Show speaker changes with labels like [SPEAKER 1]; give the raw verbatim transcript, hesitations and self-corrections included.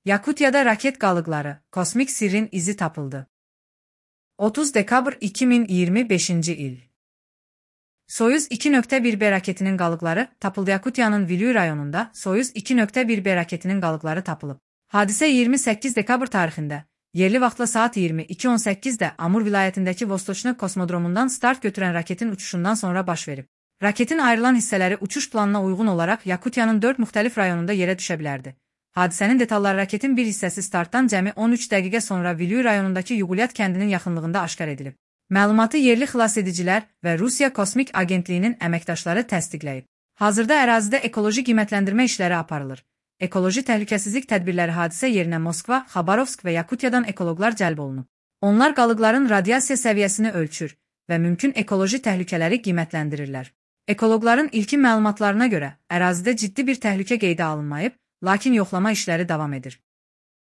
[SPEAKER 1] Yakutiyada raket qalıqları, kosmik sirrin izi tapıldı. otuz dekabr iki min iyirmi beşinci il. Soyuz iki nöqtə bir B raketinin qalıqları tapıldı. Yakutiyanın Vilüy rayonunda Soyuz iki nöqtə bir B raketinin qalıqları tapılıb. Hadisə iyirmi səkkiz dekabr tarixində, yerli vaxtla saat iyirmi iki on səkkizdə Amur vilayətindəki Vostochny kosmodromundan start götürən raketin uçuşundan sonra baş verib. Raketin ayrılan hissələri uçuş planına uyğun olaraq Yakutiyanın dörd müxtəlif rayonunda yerə düşə bilərdi. Hadisənin detalları raketin bir hissəsi startdan cəmi on üç dəqiqə sonra Vilüy rayonundakı Yugulyat kəndinin yaxınlığında aşkar edilib. Məlumatı yerli xilasedicilər və Rusiya Kosmik Agentliyinin əməkdaşları təsdiqləyib. Hazırda ərazidə ekoloji qiymətləndirmə işləri aparılır. Ekoloji təhlükəsizlik tədbirləri hadisə yerinə Moskva, Xabarovsk və Yakutiyadan ekoloqlar cəlb olunub. Onlar qalıqların radiasiya səviyyəsini ölçür və mümkün ekoloji təhlükələri qiymətləndirirlər. Ekoloqların ilkin məlumatlarına görə ərazidə ciddi bir təhlükə qeydə alınmayıb, lakin yoxlama işləri davam edir.